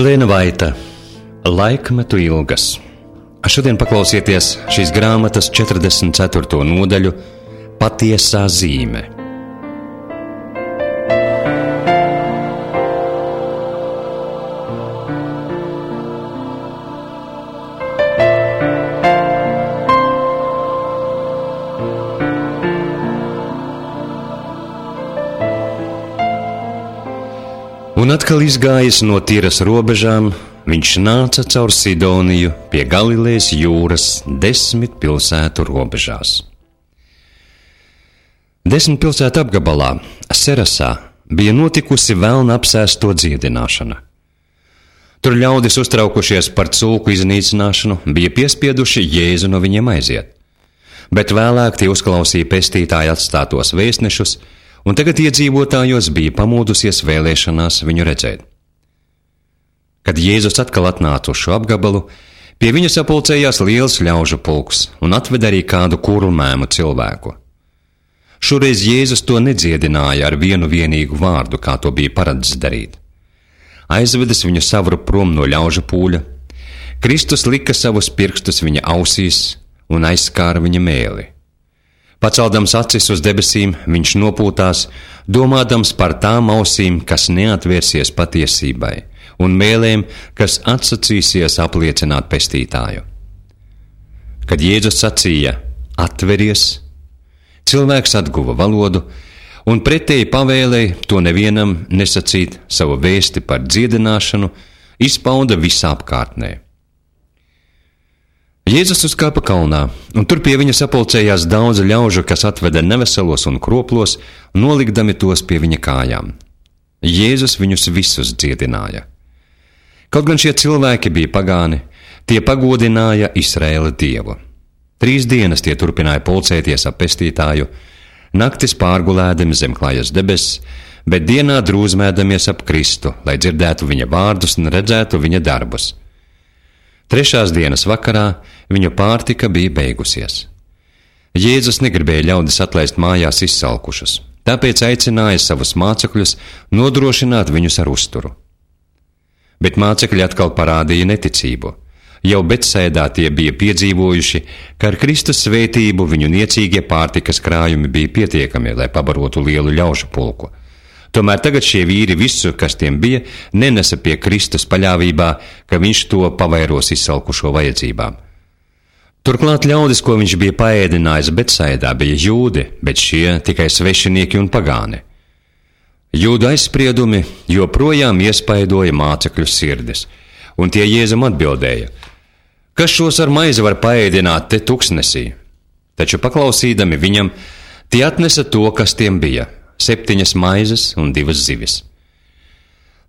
Marlēna Vaita, Laikmetu ilgas. Šodien paklausieties šīs grāmatas 44. nodaļu Patiesā zīme. Un atkal izgājis no Tīras robežām, viņš nāca caur Sidoniju pie Galilejas jūras 10 pilsētu robežās. 10 pilsētu apgabalā, Serasā, bija notikusi velna apsēsto dziedināšana. Tur ļaudis uztraukušies par cūku iznīcināšanu, bija piespieduši Jēzu no viņiem aiziet. Bet vēlāk tie uzklausīja pestītāju atstātos vēstnešus, un tagad iedzīvotājos bija pamodusies vēlēšanās viņu redzēt. Kad Jēzus atkal atnāca uz šo apgabalu, pie viņa sapulcējās liels ļaužu pulks un atveda arī kādu kurlmēmu cilvēku. Šoreiz Jēzus to nedziedināja ar vienu vienīgu vārdu, kā to bija paredzis darīt. Aizvedis viņu savru prom no ļaužu pūļa, Kristus lika savus pirkstus viņa ausīs un aizskāra viņa mēli. Paceldams acis uz debesīm, viņš nopūtās, domādams par tām ausīm, kas neatvērsies patiesībai, un mēlēm, kas atsacīsies apliecināt pestītāju. Kad Jēzus sacīja, atveries, cilvēks atguva valodu, un pretēji pavēlēja to nevienam nesacīt savu vēsti par dziedināšanu, izpauda visā apkārtnē. Jēzus uzkāpa kalnā, un tur pie viņa sapulcējās daudz ļaužu, kas atveda neveselos un kroplos, nolikdami tos pie viņa kājām. Jēzus viņus visus dziedināja. Kaut gan šie cilvēki bija pagāni, tie pagodināja Izraēla Dievu. 3 dienas tie turpināja pulcēties ap pestītāju, naktis pārgulēdami zem klājas debesis, bet dienā drūzmēdamies ap Kristu, lai dzirdētu viņa vārdus un redzētu viņa darbus. 3. dienas vakarā viņu pārtika bija beigusies. Jēzus negribēja ļaudis atlaist mājās izsalkušus, tāpēc aicināja savus mācekļus nodrošināt viņus ar uzturu. Bet mācekļi atkal parādīja neticību. Jau Betsaidā tie bija piedzīvojuši, ka ar Kristus svētību viņu niecīgie pārtikas krājumi bija pietiekami, lai pabarotu lielu ļaužu pulku. Tomēr tagad šie vīri visu, kas tiem bija, nenesa pie Kristus paļāvībā, ka viņš to pavairos izsalkušo vajadzībām. Turklāt ļaudis, ko viņš bija paēdinājis Betsaidā, bija jūdi, bet šie tikai svešinieki un pagāni. Jūdu aizspriedumi joprojām iespaidoja mācekļu sirdis, un tie Jēzum atbildēja, kas šos ar maizi var paēdināt te tuksnesī? Taču paklausīdami viņam, tie atnesa to, kas tiem bija. 7 maizes un 2 zivis.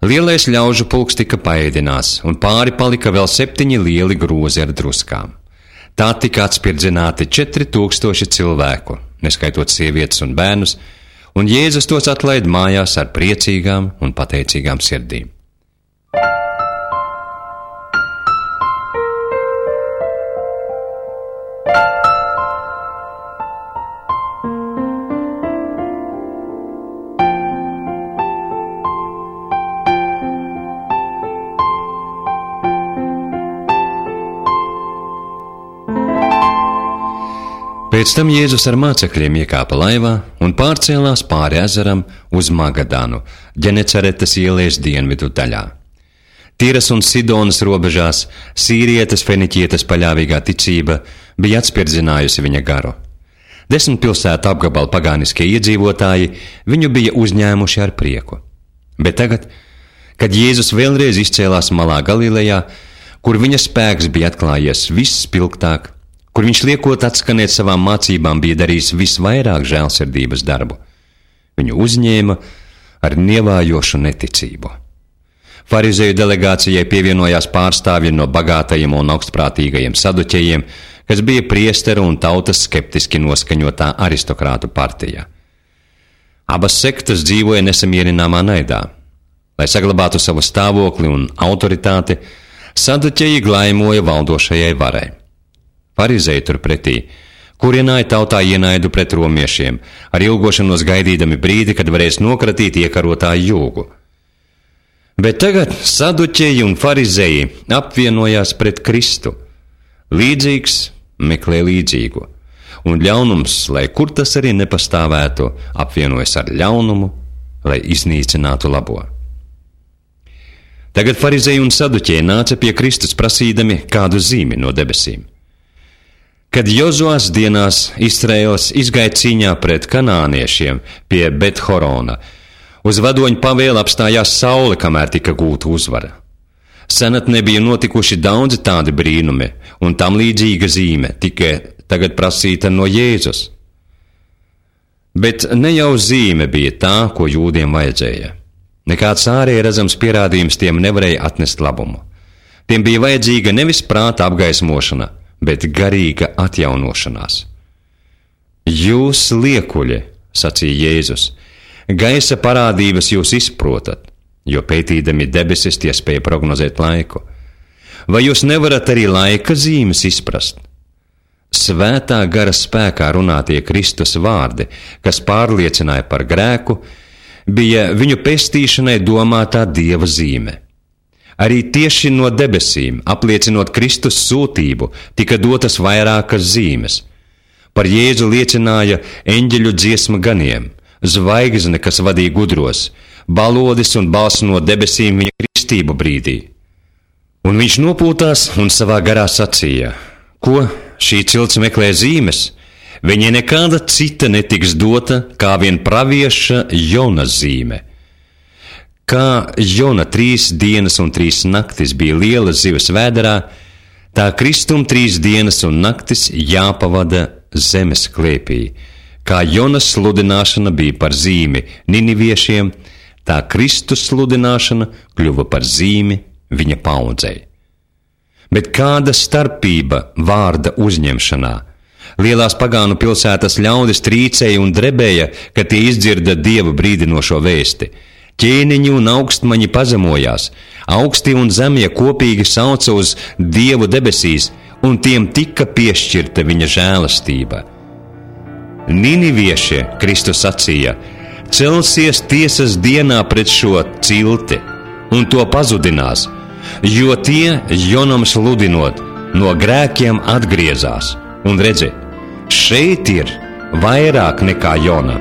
Lielais ļaužu pulks tika paēdināts, un pāri palika vēl 7 lieli grozi ar druskām. Tā tika atspirdzināti 4000 cilvēku, neskaitot sievietes un bērnus, un Jēzus tos atlaid mājās ar priecīgām un pateicīgām sirdīm. Pēc tam Jēzus ar mācekļiem iekāpa laivā un pārcēlās pāri ezeram uz Magadanu, Ģeneceretes ielas dienvidu daļā. Tīras un Sidonas robežās sīrietes feniķietes paļāvīgā ticība bija atspirdzinājusi viņa garu. 10 pilsētu apgabalu pagāniskie iedzīvotāji viņu bija uzņēmuši ar prieku. Bet tagad, kad Jēzus vēlreiz izcēlās malā Galilejā, kur viņa spēks bija atklājies visspilgtāk, kur viņš liekot atskanēt savām mācībām bija darījis visvairāk žēlsirdības darbu, viņu uzņēma ar nievājošu neticību. Farizeju delegācijai pievienojās pārstāvji no bagātajiem un augstprātīgajiem saduķejiem, kas bija priesteru un tautas skeptiski noskaņotā aristokrātu partija. Abas sektas dzīvoja nesamierināmā naidā. Lai saglabātu savu stāvokli un autoritāti, saduķeji glaimoja valdošajai varai. Farizeji turpretī kurināja tautā ienaidu pret romiešiem, ar ilgošanos gaidīdami brīdi, kad varēs nokratīt iekarotāju jūgu. Bet tagad saduķeji un farizēji apvienojās pret Kristu. Līdzīgs meklē līdzīgu, un ļaunums, lai kur tas arī nepastāvētu, apvienojas ar ļaunumu, lai iznīcinātu labo. Tagad farizēji un saduķeji nāca pie Kristus prasīdami kādu zīmi no debesīm. Kad Jozuas dienās Izraēls izgāja cīņā pret kanāniešiem pie Bet-Horona, uz vadoņu pavēli apstājās saule, kamēr tika gūta uzvara. Senatnē bija notikuši daudzi tādi brīnumi, un tam līdzīga zīme tika tagad prasīta no Jēzus. Bet ne jau zīme bija tā, ko jūdiem vajadzēja. Nekāds ārēji redzams pierādījums tiem nevarēja atnest labumu. Tiem bija vajadzīga nevis prāta apgaismošana, bet garīga atjaunošanās. Jūs liekuļi, sacīja Jēzus, gaisa parādības jūs izprotat, jo pētīdami debesis tie spēja prognozēt laiku. Vai jūs nevarat arī laika zīmes izprast? Svētā gara spēkā runātie Kristus vārdi, kas pārliecināja par grēku, bija viņu pestīšanai domātā Dieva zīme. Arī tieši no debesīm, apliecinot Kristus sūtību, tika dotas vairākas zīmes. Par Jēzu liecināja eņģeļu dziesma ganiem, zvaigzne, kas vadīja gudros, balodis un balss no debesīm viņa kristību brīdī. Un viņš nopūtās un savā garā sacīja: ko šī cilts meklē zīmes? Viņai nekāda cita netiks dota, kā vien pravieša Jona zīme. Kā Jona 3 dienas un 3 naktis bija liela zivs vēderā, tā Kristum 3 dienas un naktis jāpavada zemes klēpī. Kā Jonas sludināšana bija par zīmi niniviešiem, tā Kristus sludināšana kļuva par zīmi viņa paaudzei. Bet kāda starpība vārda uzņemšanā? Lielās pagānu pilsētas ļaudis trīcēja un drebēja, kad tie izdzirda Dieva brīdinošo vēsti. Ķēniņi un augstmaņi pazemojās, augstie un zemie kopīgi sauca uz Dievu debesīs, un tiem tika piešķirta viņa žēlastība. Ninivieši, Kristus sacīja, celsies tiesas dienā pret šo cilti, un to pazudinās, jo tie, Jonam sludinot, no grēkiem atgriezās. Un redzi, šeit ir vairāk nekā Jona.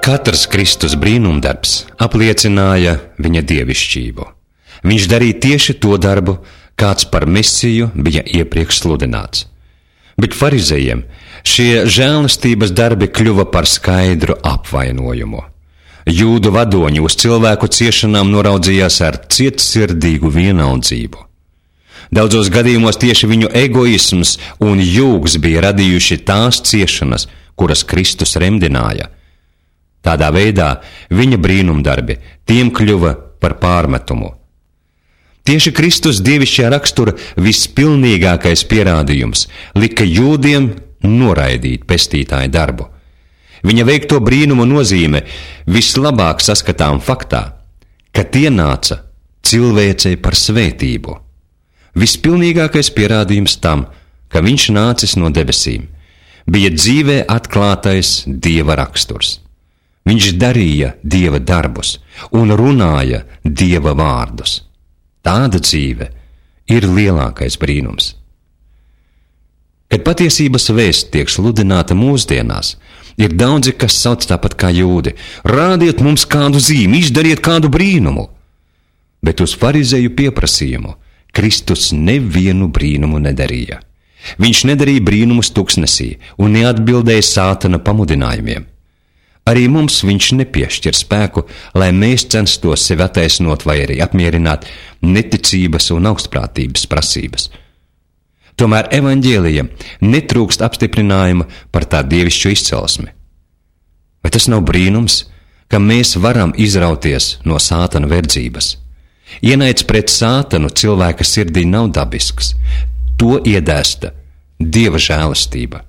Katrs Kristus brīnumdarbs apliecināja viņa dievišķību. Viņš darīja tieši to darbu, kāds par Mesiju bija iepriekš sludināts. Bet farizējiem šie žēlastības darbi kļuva par skaidru apvainojumu. Jūdu vadoņi uz cilvēku ciešanām noraudzījās ar cietsirdīgu vienaldzību. Daudzos gadījumos tieši viņu egoisms un jūgs bija radījuši tās ciešanas, kuras Kristus remdināja. Tādā veidā viņa brīnumdarbi tiem kļuva par pārmetumu. Tieši Kristus dievišķā rakstura vispilnīgākais pierādījums lika jūdiem noraidīt pestītāja darbu. Viņa veikto brīnumu nozīme vislabāk saskatām faktā, ka tie nāca cilvēcei par svētību. Vispilnīgākais pierādījums tam, ka viņš nācis no debesīm, bija dzīvē atklātais Dieva raksturs. Viņš darīja Dieva darbus un runāja Dieva vārdus. Tāda dzīve ir lielākais brīnums. Kad patiesības vēsts tiek sludināta mūsdienās, ir daudzi, kas sauc tāpat kā jūdi: rādiet mums kādu zīmi, izdariet kādu brīnumu. Bet uz farizēju pieprasījumu Kristus nevienu brīnumu nedarīja. Viņš nedarīja brīnumus tuksnesī un neatbildēja Sātana pamudinājumiem. Arī mums viņš nepiešķir spēku, lai mēs censtos sevi attaisnot vai arī apmierināt neticības un augstprātības prasības. Tomēr evaņģēlija netrūkst apstiprinājuma par tā dievišķo izcelsmi. Vai tas nav brīnums, ka mēs varam izrauties no Sātana verdzības? Ienaids pret Sātanu cilvēka sirdī nav dabisks. To iedēsta Dieva žēlastība.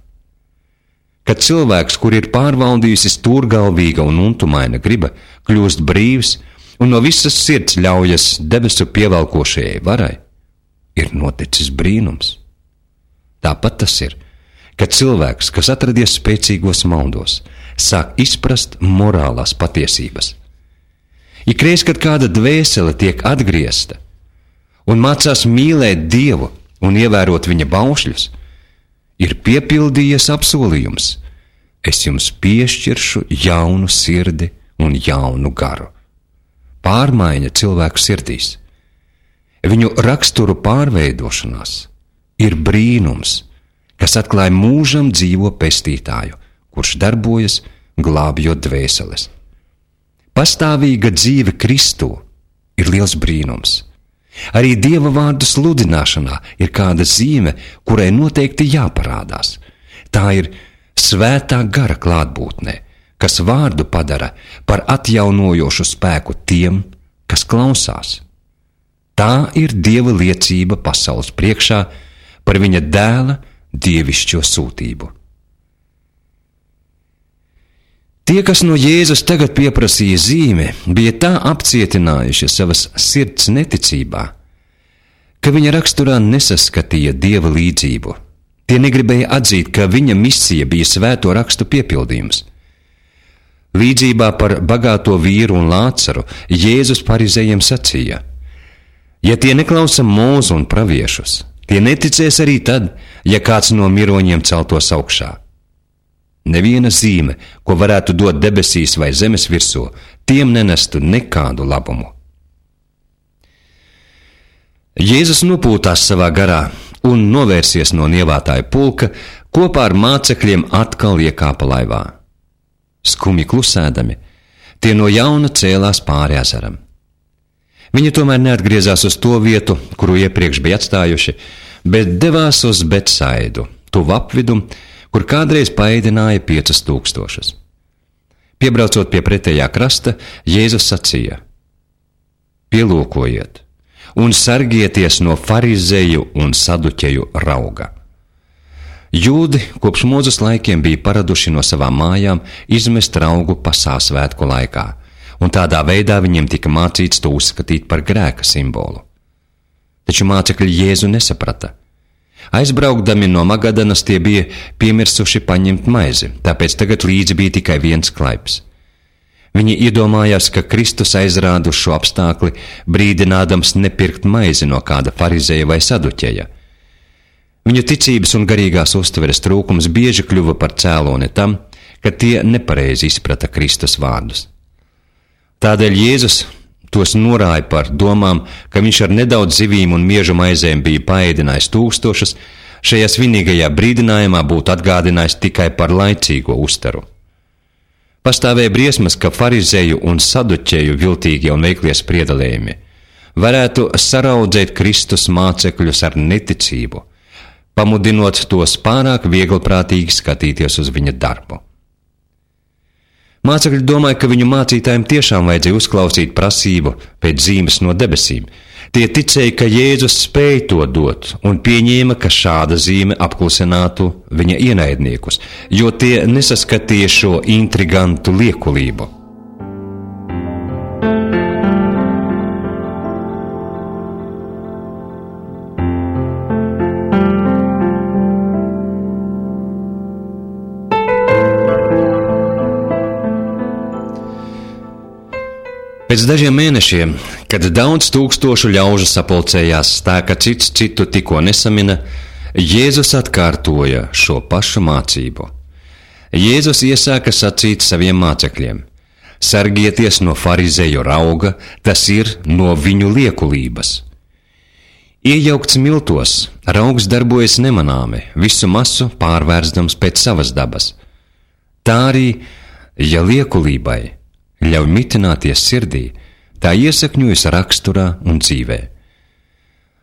Kad cilvēks, kur ir pārvaldījusi stūrgalvīga un untumaina griba, kļūst brīvs un no visas sirds ļaujas debesu pievelkošajai varai, ir noticis brīnums. Tāpat tas ir, kad cilvēks, kas atradies spēcīgos maldos, sāk izprast morālās patiesības. Ikreiz, kad kāda dvēsele tiek atgriezta un mācās mīlēt Dievu un ievērot viņa baušļus, ir piepildījies apsolījums: es jums piešķiršu jaunu sirdi un jaunu garu. Pārmaiņa cilvēku sirdīs, viņu raksturu pārveidošanās ir brīnums, kas atklāja mūžam dzīvo pestītāju, kurš darbojas glābjot dvēseles. Pastāvīga dzīve Kristū ir liels brīnums. Arī Dieva vārdu sludināšanā ir kāda zīme, kurai noteikti jāparādās. Tā ir svētā gara klātbūtnē, kas vārdu padara par atjaunojošu spēku tiem, kas klausās. Tā ir Dieva liecība pasaules priekšā par viņa dēla dievišķo sūtību. Tie, kas no Jēzus tagad pieprasīja zīmi, bija tā apcietinājuši savas sirds neticībā, ka viņa raksturā nesaskatīja Dieva līdzību. Tie negribēja atzīt, ka viņa misija bija svēto rakstu piepildījums. Līdzībā par bagāto vīru un Lācaru Jēzus farizējiem sacīja: ja tie neklausa Mūzu un praviešus, tie neticēs arī tad, ja kāds no miroņiem celtos augšā. Neviena zīme, ko varētu dot debesīs vai zemes virsū, tiem nenestu nekādu labumu. Jēzus nopūtās savā garā un novērsies no nievātāja pulka, kopā ar mācekļiem atkal iekāpa laivā. Skumji klusēdami, tie no jauna cēlās pāri ezeram. Viņi tomēr neatgriezās uz to vietu, kuru iepriekš bija atstājuši, bet devās uz Betsaidu, tuvu apvidu, kur kādreiz paēdināja 5000. Piebraucot pie pretējā krasta, Jēzus sacīja: pielūkojiet un sargieties no farizēju un saduķeju rauga. Jūdi kopš Mūzes laikiem bija paraduši no savām mājām izmest raugu pasā svētku laikā, un tādā veidā viņiem tika mācīts to uzskatīt par grēka simbolu. Taču mācekļi Jēzu nesaprata. Aizbraukdami no Magadanas tie bija piemirsuši paņemt maizi, tāpēc tagad līdzi bija tikai viens klaips. Viņi iedomājās, ka Kristus aizrāda uz šo apstākli, brīdinādams nepirkt maizi no kāda farizēja vai saduķeja. Viņu ticības un garīgās uztveres trūkums bieži kļuva par cēloni tam, ka tie nepareizi izprata Kristus vārdus. Tādēļ Jēzus tos norāja par domām, ka viņš ar nedaudz zivīm un miežu maizēm bija paēdinājis 1000, šajā svinīgajā brīdinājumā būtu atgādinājis tikai par laicīgo uztaru. Pastāvēja briesmas, ka farizēju un saduķēju viltīgie un veiklie spriedalējumi varētu saraudzēt Kristus mācekļus ar neticību, pamudinot tos pārāk vieglprātīgi skatīties uz viņa darbu. Mācekļi domāja, ka viņu mācītājiem tiešām vajadzēja uzklausīt prasību pēc zīmes no debesīm. Tie ticēja, ka Jēzus spēja to dot, un pieņēma, ka šāda zīme apklusinātu viņa ienaidniekus, jo tie nesaskatīja šo intrigantu liekulību. Pēc dažiem mēnešiem, kad daudz tūkstošu ļaužu sapulcējās tā, ka cits citu tikko nesamina, Jēzus atkārtoja šo pašu mācību. Jēzus iesāka sacīt saviem mācekļiem: sargieties no farizēju rauga, tas ir no viņu liekulības. Iejaukts miltos, raugs darbojas nemanāmi, visu masu pārvērstams pēc savas dabas. Tā arī, ja liekulībai ļauj mitināties sirdī, tā iesakņojas raksturā un dzīvē.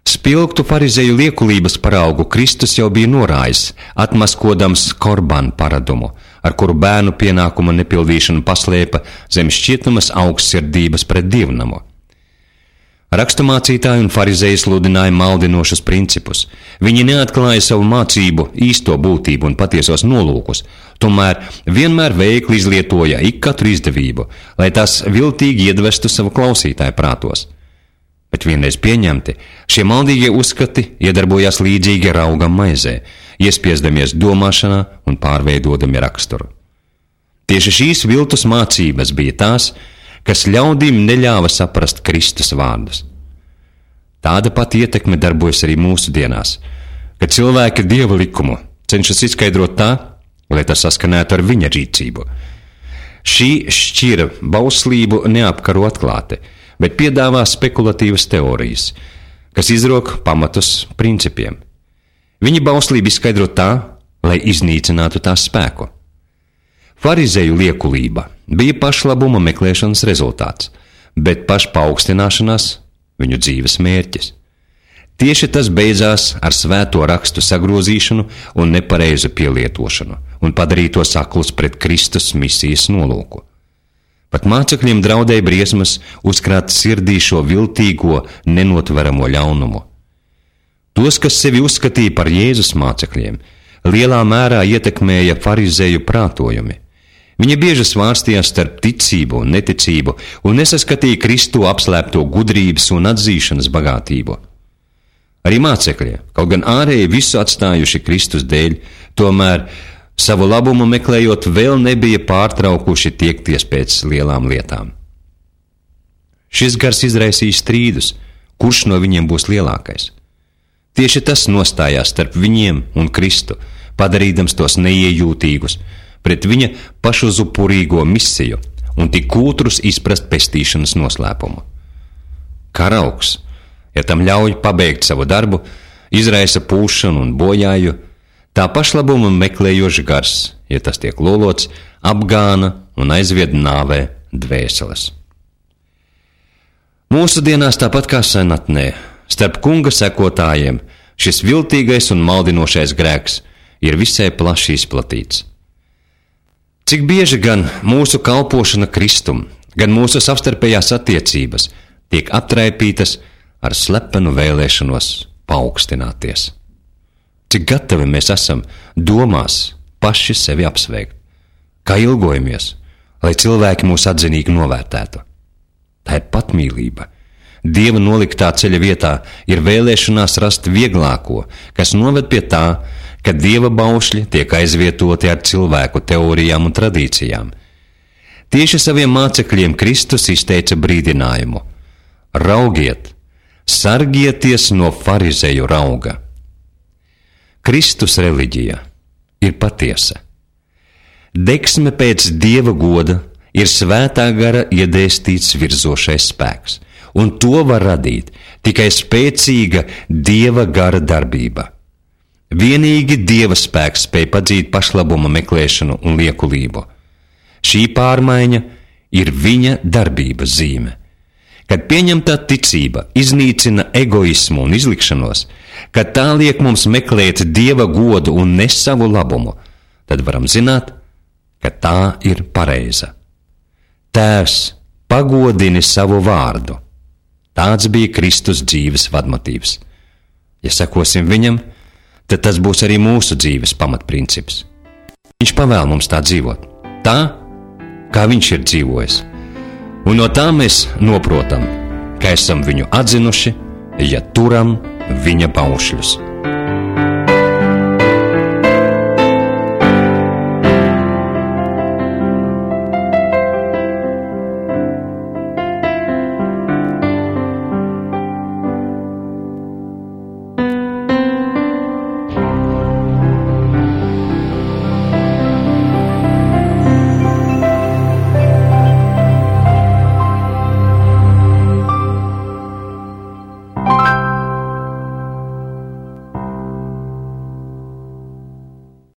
Spilgtu farizēju liekulības paraugu Kristus jau bija norājis, atmaskodams korbanu paradumu, ar kuru bērnu pienākuma nepildīšanu paslēpa zem šķietamas augstsirdības pret dievnamu. Raksturmācītāji un farizēji sludināja maldinošus principus. Viņi neatklāja savu mācību īsto būtību un patiesos nolūkus, tomēr vienmēr veikli izlietoja ik katru izdevību, lai tās viltīgi iedvestu savu klausītāju prātos. Bet vienreiz pieņemti, šie maldīgie uzskati iedarbojās līdzīgi raugam maizē, iespiesdamies domāšanā un pārveidodami raksturu. Tieši šīs viltus mācības bija tās, kas ļaudīm neļāva saprast Kristus vārdus. Tāda pati ietekme darbojas arī mūsu dienās, kad cilvēki Dieva likumu cenšas izskaidrot tā, lai tas saskanētu ar viņa rīcību. Šī šķira bauslību neapkaro atklāti, bet piedāvā spekulatīvas teorijas, kas izrok pamatus principiem. Viņi bauslību izskaidro tā, lai iznīcinātu tās spēku. Farizēju liekulība bija pašlabuma meklēšanas rezultāts, bet pašpaaugstināšanās viņu dzīves mērķis. Tieši tas beidzās ar svēto rakstu sagrozīšanu un nepareizu pielietošanu un padarīto saklus pret Kristus misijas nolūku. Pat mācekļiem draudēja briesmas uzkrāt sirdī šo viltīgo, nenotveramo ļaunumu. Tos, kas sevi uzskatīja par Jēzus mācekļiem, lielā mērā ietekmēja farizēju prātojumi. Viņi bieži svārstījās starp ticību un neticību un nesaskatīja Kristu apslēpto gudrības un atzīšanas bagātību. Arī mācekļi, kaut gan ārēji visu atstājuši Kristus dēļ, tomēr savu labumu meklējot vēl nebija pārtraukuši tiekties pēc lielām lietām. Šis gars izraisīja strīdus, kurš no viņiem būs lielākais. Tieši tas nostājās starp viņiem un Kristu, padarīdams tos neiejūtīgus pret viņa pašuzupurīgo misiju un tik kūtrus izprast pestīšanas noslēpumu. Karaugs, ja tam ļauj pabeigt savu darbu, izraisa pūšanu un bojāju, tā pašlabumu meklējoši gars, ja tas tiek lolots, apgāna un aizvied nāvē dvēseles. Mūsu dienās tāpat kā senatnē, starp kunga sekotājiem šis viltīgais un maldinošais grēks ir visai plaši izplatīts. Cik bieži gan mūsu kalpošana Kristum, gan mūsu savstarpējās attiecības tiek aptraipītas ar slepenu vēlēšanos paaugstināties. Cik gatavi mēs esam domās paši sevi apsveikt, kā ilgojamies, lai cilvēki mūs atzinīgi novērtētu. Tā ir patmīlība. Dieva noliktā ceļa vietā ir vēlēšanās rast vieglāko, kas noved pie tā, ka Dieva baušļi tiek aizvietoti ar cilvēku teorijām un tradīcijām. Tieši saviem mācekļiem Kristus izteica brīdinājumu: raugiet, sargieties no farizēju rauga. Kristus reliģija ir patiesa. Degsme pēc Dieva goda ir svētā gara iedēstīts virzošais spēks, un to var radīt tikai spēcīga Dieva gara darbība. Vienīgi Dieva spēks spēj padzīt pašlabuma meklēšanu un liekulību. Šī pārmaiņa ir viņa darbības zīme. Kad pieņemtā ticība iznīcina egoismu un izlikšanos, kad tā liek mums meklēt Dieva godu un ne savu labumu, tad varam zināt, ka tā ir pareiza. Tēvs, pagodini savu vārdu. Tāds bija Kristus dzīves vadmotīvs. Ja sekosim viņam, tad tas būs arī mūsu dzīves pamatprincips. Viņš pavēl mums tā dzīvot, tā, kā viņš ir dzīvojis. Un no tā mēs noprotam, ka esam viņu atzinuši, ja turam viņa baušļus.